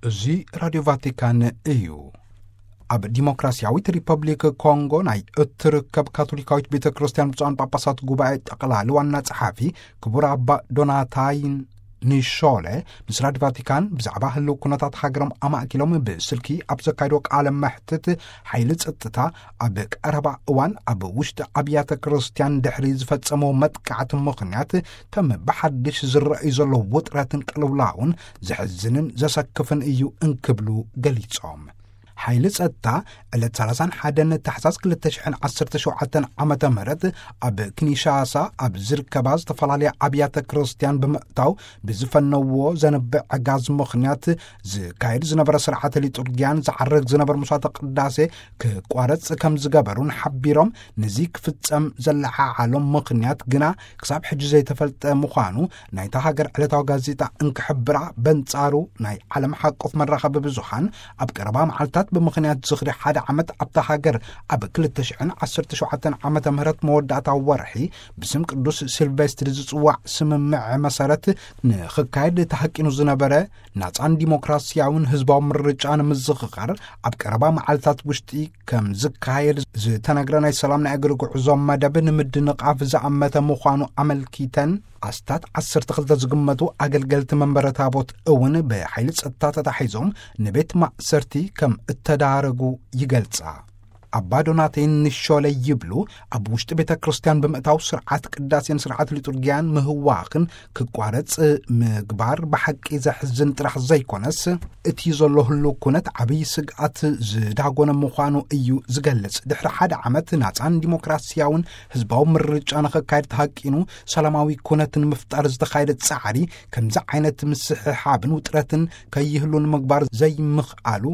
እዚ ራድዮ ቫቲካን እዩ። ኣብ ዲሞክራሲያዊት ሪፐብሊክ ኮንጎ ናይ እትርከብ ካቶሊካዊት ቤተ ክርስቲያን ብፁዓን ጳጳሳት ጉባኤ ጠቕላሊ ዋና ጸሓፊ ክቡር ኣባ ዶናታይን ንሾለ ምስ ራድዮ ቫቲካን ብዛዕባ ህልው ኩነታት ሃገሮም ኣማእኪሎም ብስልኪ ኣብ ዘካይዶ ቃለ መሕትት፣ ሓይሊ ጸጥታ ኣብ ቀረባ እዋን ኣብ ውሽጢ ኣብያተ ክርስቲያን ድሕሪ ዝፈጸሞ መጥቃዕቲ ምኽንያት ከም ብሓድሽ ዝረኣዩ ዘለዉ ውጥረትን ቅልውላውን ዘሕዝንን ዘሰክፍን እዩ እንክብሉ ገሊጾም። ሓይሊ ጸጥታ ዕለት ሰላሳን ሓደን ታሕሳስ ክልተ ሽሕን ዓሰርተ ሸውዓተን ዓመተ ምህረት ኣብ ኪንሻሳ ኣብ ዝርከባ ዝተፈላለያ ኣብያተ ክርስቲያን ብምእታው ብዝፈነዎ ዘንብዕ ዕጋዝ ምኽንያት ዝካየድ ዝነበረ ስርዓተ ሊጡርጊያን ዝዓረግ ዝነበረ መስዋዕተ ቅዳሴ ክቋረጽ ከም ዝገበሩን ሓቢሮም፣ ነዚ ክፍጸም ዘለዓዓሎም ምኽንያት ግና ክሳብ ሕጂ ዘይተፈልጠ ምዃኑ ናይታ ሃገር ዕለታዊ ጋዜጣ እንክሕብራ፣ በንጻሩ ናይ ዓለም ሓቆፍ መራኸቢ ብዙሃን ኣብ ቀረባ መዓልታት ብምኽንያት ዝኽሪ ሓደ ዓመት ኣብታ ሃገር ኣብ ክልተ ሽሕን ዓሰርተ ሸውዓተን ዓመተ ምህረት መወዳእታ ወርሒ ብስም ቅዱስ ሲልቬስትሪ ዝጽዋዕ ስምምዕ መሰረት ንኽካየድ ተሃቂኑ ዝነበረ ናጻን ዲሞክራሲያውን ህዝባዊ ምርጫ ንምዝኽኻር ኣብ ቀረባ መዓልታት ውሽጢ ከም ዝካየድ ዝተነግረ ናይ ሰላም ናይ እግሪ ጉዕዞ መደብ ንምድንቓፍ ዝኣመተ ምዃኑ ኣመልኪተን፣ ኣስታት ዓሰርተ ክልተ ዝግመቱ ኣገልገልቲ መንበረ ታቦት እውን ብሓይሊ ጸጥታ ተታሒዞም ንቤት ማእሰርቲ ከም እተዳረጉ ይገልጻ። ኣባ ዶናቴን ንሾለ ይብሉ፣ ኣብ ውሽጢ ቤተ ክርስቲያን ብምእታው ስርዓት ቅዳሴን ስርዓት ሊጡርጊያን ምህዋኽን ክቋረጽ ምግባር ብሓቂ ዘሕዝን ጥራሕ ዘይኮነስ፣ እቲ ዘሎ ህልው ኩነት ዓብዪ ስግኣት ዝዳጎነ ምዃኑ እዩ ዝገልጽ። ድሕሪ ሓደ ዓመት ናጻን ዲሞክራሲያውን ህዝባዊ ምርጫ ንኽካየድ ተሃቂኑ ሰላማዊ ኩነት ንምፍጣር ዝተኻየደ ጻዕሪ፣ ከምዚ ዓይነት ምስሕሓብን ውጥረትን ከይህሉ ንምግባር ዘይምኽኣሉ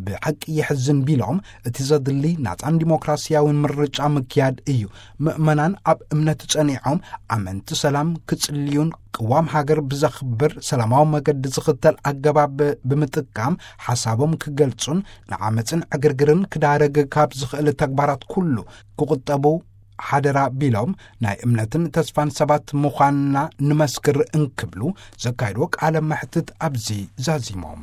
ብሓቂ የሕዝን ቢሎም፣ እቲ ዘድሊ ናጻን ዲሞክራሲያውን ምርጫ ምክያድ እዩ። ምእመናን ኣብ እምነት ጸኒዖም፣ ኣመንቲ ሰላም ክጽልዩን ቅዋም ሃገር ብዘኽብር ሰላማዊ መገዲ ዝኽተል ኣገባብ ብምጥቃም ሓሳቦም ክገልጹን ንዓመጽን ዕግርግርን ክዳረግ ካብ ዝኽእል ተግባራት ኩሉ ክቑጠቡ ሓደራ ቢሎም፣ ናይ እምነትን ተስፋን ሰባት ምዃንና ንመስክር እንክብሉ ዘካየድዎ ቃለ መሕትት ኣብዚ ዛዚሞም።